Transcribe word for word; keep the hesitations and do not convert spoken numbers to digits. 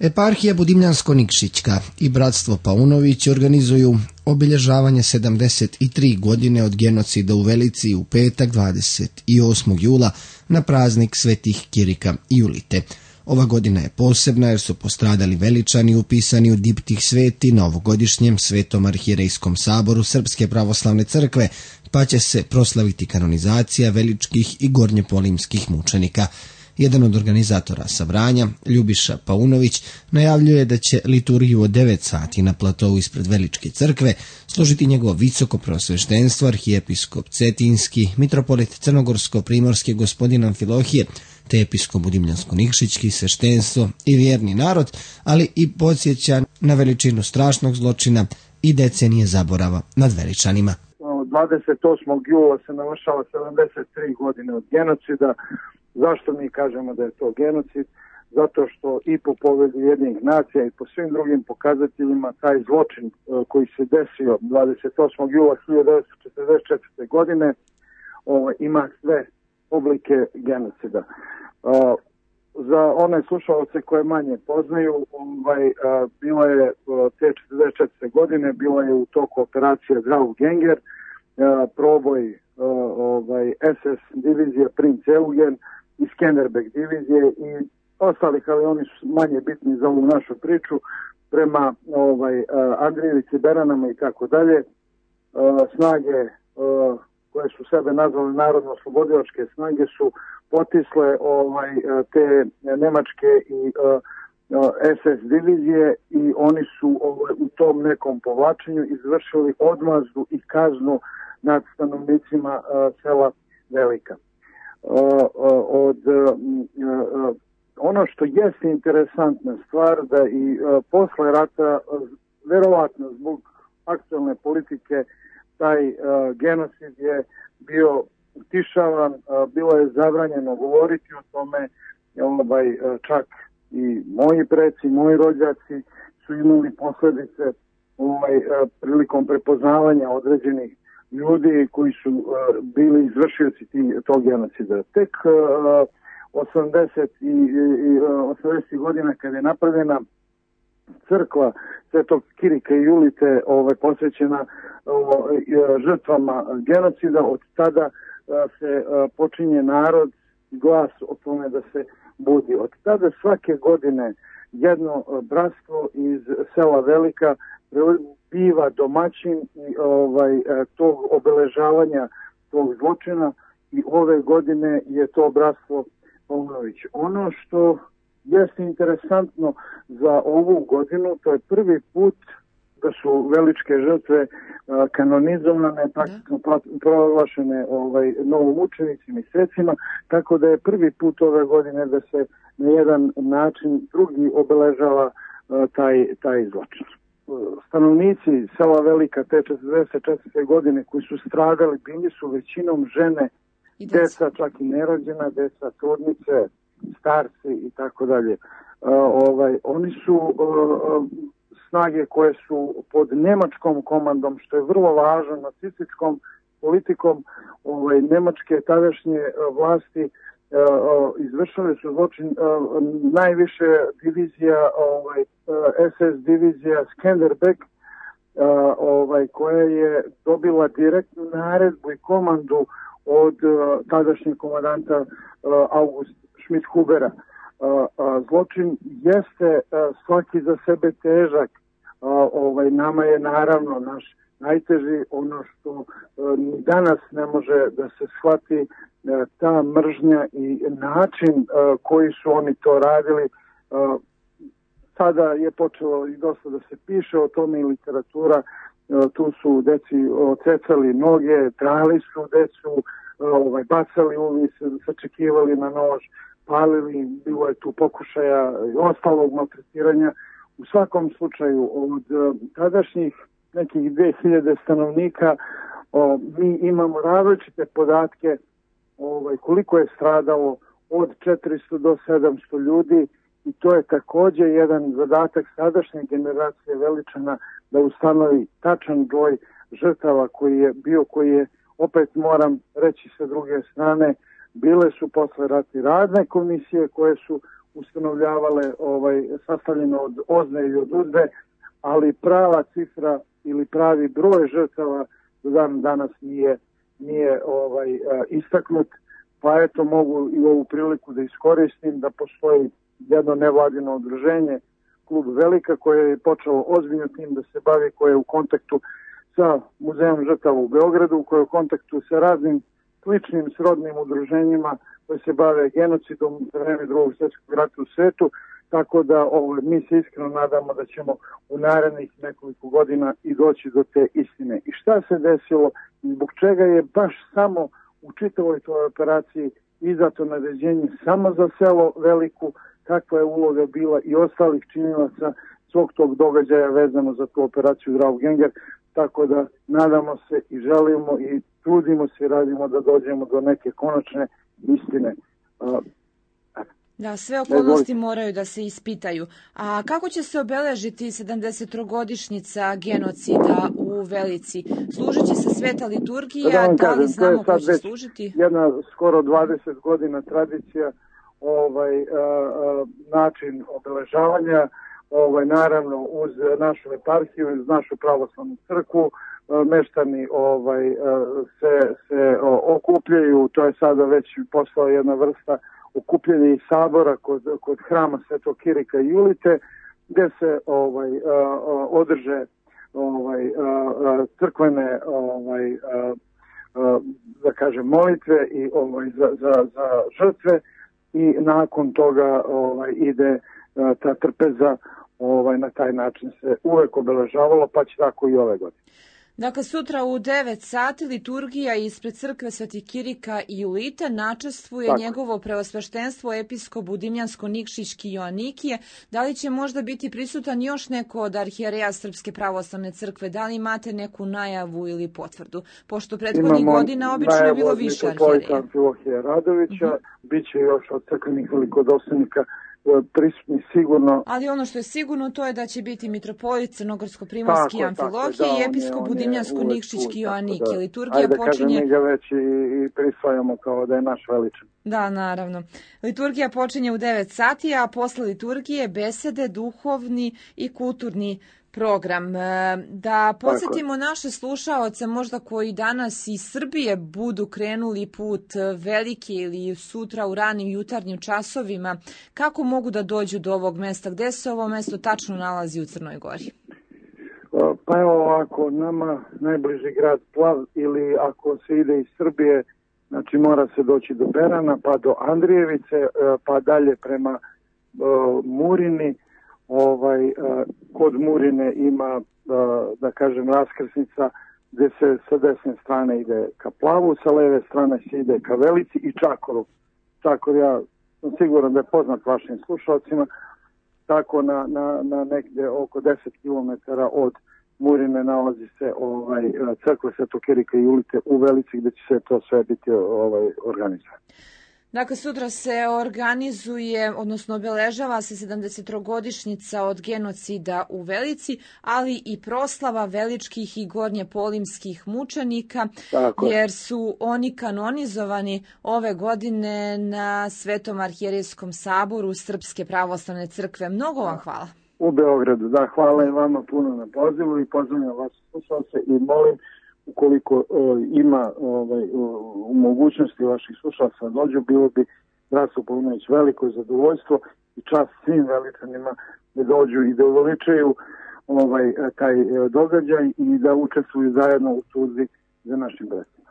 Eparhija Budimljansko-Nikšićka i Bratstvo Paunović organizuju obilježavanje sedamdeset tri godine od genocida u Velici u petak dvadeset osmog jula na praznik svetih Kirika i Julite. Ova godina je posebna jer su postradali Veličani upisani u diptih sveti na ovogodišnjem Svetom arhijerejskom saboru Srpske pravoslavne crkve, pa će se proslaviti kanonizacija veličkih i gornjepolimskih mučenika. Jedan od organizatora sa Vranja, Ljubiša Paunović, najavljuje da će liturgiju od devet sati na platovu ispred Veličke crkve složiti njegovo visoko preosveštenstvo arhijepiskop Cetinski, mitropolit Crnogorsko-primorski gospodin Amfilohije, te episkop Budimljansko-Nikšićki, sveštenstvo i vjerni narod, ali i podsjeća na veličinu strašnog zločina i decenije zaborava nad Veličanima. dvadeset osmog jula se navršava sedamdeset tri godine od genocida. Zašto mi kažemo da je to genocid? Zato što i po povelji Ujedinjenih nacija i po svim drugim pokazateljima taj zločin koji se desio dvadeset osmog jula hiljadu devetsto četrdeset četvrte. godine ima sve oblike genocida. Za one slušalce koje manje poznaju, ovaj, bila je te četrdeset četvrte. godine, bila je u toku operacija Graugenger, proboj ovaj, es es divizije Princ Eugen i Skenderbeg divizije i ostalih, ali oni su manje bitni za ovu našu priču, prema ovaj, Andrijevici, Beranama i tako dalje. Snage koje su sebe nazvali narodno-oslobodilačke snage su potisle ovaj, te nemačke i es es divizije i oni su ovaj, u tom nekom povlačenju izvršili odmazdu i kaznu nad stanovnicima uh, sela Velika. Uh, uh, od, uh, uh, ono što jeste interesantna stvar da i uh, posle rata, uh, verovatno zbog aktualne politike, taj uh, genocid je bio utišavan, uh, bilo je zabranjeno govoriti o tome, ovaj, uh, čak i moji preci, moji rođaci su imali posljedice ovaj, uh, prilikom prepoznavanja određenih ljudi koji su uh, bili izvršioci tog genocida. Tek uh, osamdesetih godina kada je napravljena crkva Svetog Kirika i Julite ovaj, posvećena ovaj, žrtvama genocida, od tada uh, se uh, počinje narod glas o tome da se budi. Od tada svake godine jedno uh, bratstvo iz sela Velika biva domaćin i ovaj, tog obeležavanja tog zločina i ove godine je to bratstvo Paunović. Ono što jeste interesantno za ovu godinu, to je prvi put da su veličke žrtve kanonizovane, praktično proglašene ovaj, novomučenicima i svecima, tako da je prvi put ove godine da se na jedan način drugi obeležava taj, taj zločin. Stanovnici sela Velika te četrdeset četvrte. godine koji su stradali bili su većinom žene, deca, čak i nerođena deca, trudnice, starci i tako dalje. Ovaj, oni su uh, snage koje su pod nemačkom komandom, što je vrlo važno, nacističkom politikom ovaj, nemačke tadašnje uh, vlasti Uh, izvršili su zločin uh, najviše divizija, ovaj, uh, es es divizija Skenderbeg, uh, ovaj, koja je dobila direktnu naredbu i komandu od uh, tadašnjeg komandanta uh, August Schmidt-Hubera. Uh, uh, zločin jeste uh, svaki za sebe težak. Uh, ovaj, nama je naravno naš najteži ono što uh, ni danas ne može da se shvati, ta mržnja i način uh, koji su oni to radili. Uh, sada je počelo i dosta da se piše o tome i literatura. Uh, tu su deci ocecali noge, trali su decu, uh, ovaj, bacali uvis, sačekivali na nož, palili, bilo je tu pokušaja i ostalog maltretiranja. U svakom slučaju od uh, tadašnjih nekih dve hiljade stanovnika uh, mi imamo različite podatke ovaj, koliko je stradalo od četiristo do sedamsto ljudi i to je također jedan zadatak sadašnje generacije Veličana da ustanovi tačan broj žrtava koji je bio, koji je, opet moram reći sa druge strane, bile su posle rati radne komisije koje su ustanovljavale ovaj, sastavljeno od ozne i od uzde, ali prava cifra ili pravi broj žrtava do dan danas nije, nije ovaj, istaknut, pa eto mogu i ovu priliku da iskoristim da postoji jedno nevladino udruženje, klub Velika, koje je počelo ozbiljno tim da se bavi, koje je u kontaktu sa Muzejom žrtava u Beogradu, koje je u kontaktu sa raznim sličnim srodnim udruženjima koje se bave genocidom za vreme drugog svjetskog rata u svetu, tako da ovo, mi se iskreno nadamo da ćemo u narednih nekoliko godina i doći do te istine. I šta se desilo i zbog čega je baš samo u čitavoj toj operaciji izdato naređenje samo za selo Veliku, kakva je uloga bila i ostalih činilaca svog tog događaja vezano za tu operaciju Draufgänger, tako da nadamo se i želimo i trudimo se i radimo da dođemo do neke konačne istine. Da, sve okolnosti moraju da se ispitaju. A kako će se obeležiti sedamdesetogodišnjica genocida u Velici? Služit će se sveta liturgija, da, da li znamo ko će služiti? Jedna skoro dvadeset godina tradicija, ovaj, a, a, način obeležavanja, ovaj, naravno uz našu eparhiju, uz našu pravoslavnu crkvu, meštani ovaj, se, se okupljaju, to je sada već postala jedna vrsta okupljanja i sabora kod, kod hrama Svetog Kirika i Julite, gde se ovaj, održe ovaj, crkvene ovaj, da kažem molitve i ovaj, za, za, za žrtve i nakon toga ovaj, ide ta trpeza, ovaj, na taj način se uvek obeležavalo, pa će tako i ove godine. Dakle, sutra u devet sati liturgija ispred crkve Svetih Kirika i Julita načestvuje Tako. njegovo preosveštenstvo episkop Budimljansko-Nikšićki Joanikije. Da li će možda biti prisutan još neko od arhijereja Srpske pravoslavne crkve? Da li imate neku najavu ili potvrdu? Pošto prethodnih godina obično je bilo više arhijereja. Imamo Amfilohija Radovića, uh-huh. bit će još od crkvenih velikodostojnika prisutni sigurno. Ali ono što je sigurno to je da će biti mitropolit Crnogorsko-primorski Amfilohije da, i episkop Budimljansko-Nikšićki Joanikije. Liturgija Ajde, počinje... Ajde, kažem, mi ga već i, i prisvajamo kao da je naš veličan. Da, naravno. Liturgija počinje u devet sati, a posle liturgije besede, duhovni i kulturni program. Da podsjetimo naše slušaoce, možda koji danas iz Srbije budu krenuli put Velike ili sutra u ranim jutarnjim časovima, kako mogu da dođu do ovog mesta? Gde se ovo mesto tačno nalazi u Crnoj Gori? Pa evo ovako, nama najbliži grad Plav, ili ako se ide iz Srbije, znači mora se doći do Berana, pa do Andrijevice, pa dalje prema uh, Murini. Ovaj, uh, kod Murine ima, uh, da kažem, raskrsnica gde se sa desne strane ide ka Plavu, sa leve strane se ide ka Velici i Čakoru. Čakor, ja sam siguran da je poznat vašim slušalcima, tako na, na, na negde oko deset kilometara od Murine nalazi se ovaj, crkva Svetog Kirika i Julite u Velici, gde će se to sve biti ovaj, organizovano. Dakle, sutra se organizuje, odnosno obeležava se sedamdesetogodišnjica od genocida u Velici, ali i proslava veličkih i gornjepolimskih mučenika, Tako. jer su oni kanonizovani ove godine na Svetom arhijerejskom saboru Srpske pravoslavne crkve. Mnogo vam hvala. U Beogradu, da, hvala i vama puno na pozivu i pozdravljam vas slušalce i molim, ukoliko o, ima ovaj, u mogućnosti vaših slušalaca dođu, bilo bi Zdravstvo Paunović veliko zadovoljstvo i čast svim veličanima da dođu i da uveličaju ovaj, taj događaj i da učestvuju zajedno u tužbi za našim braćima.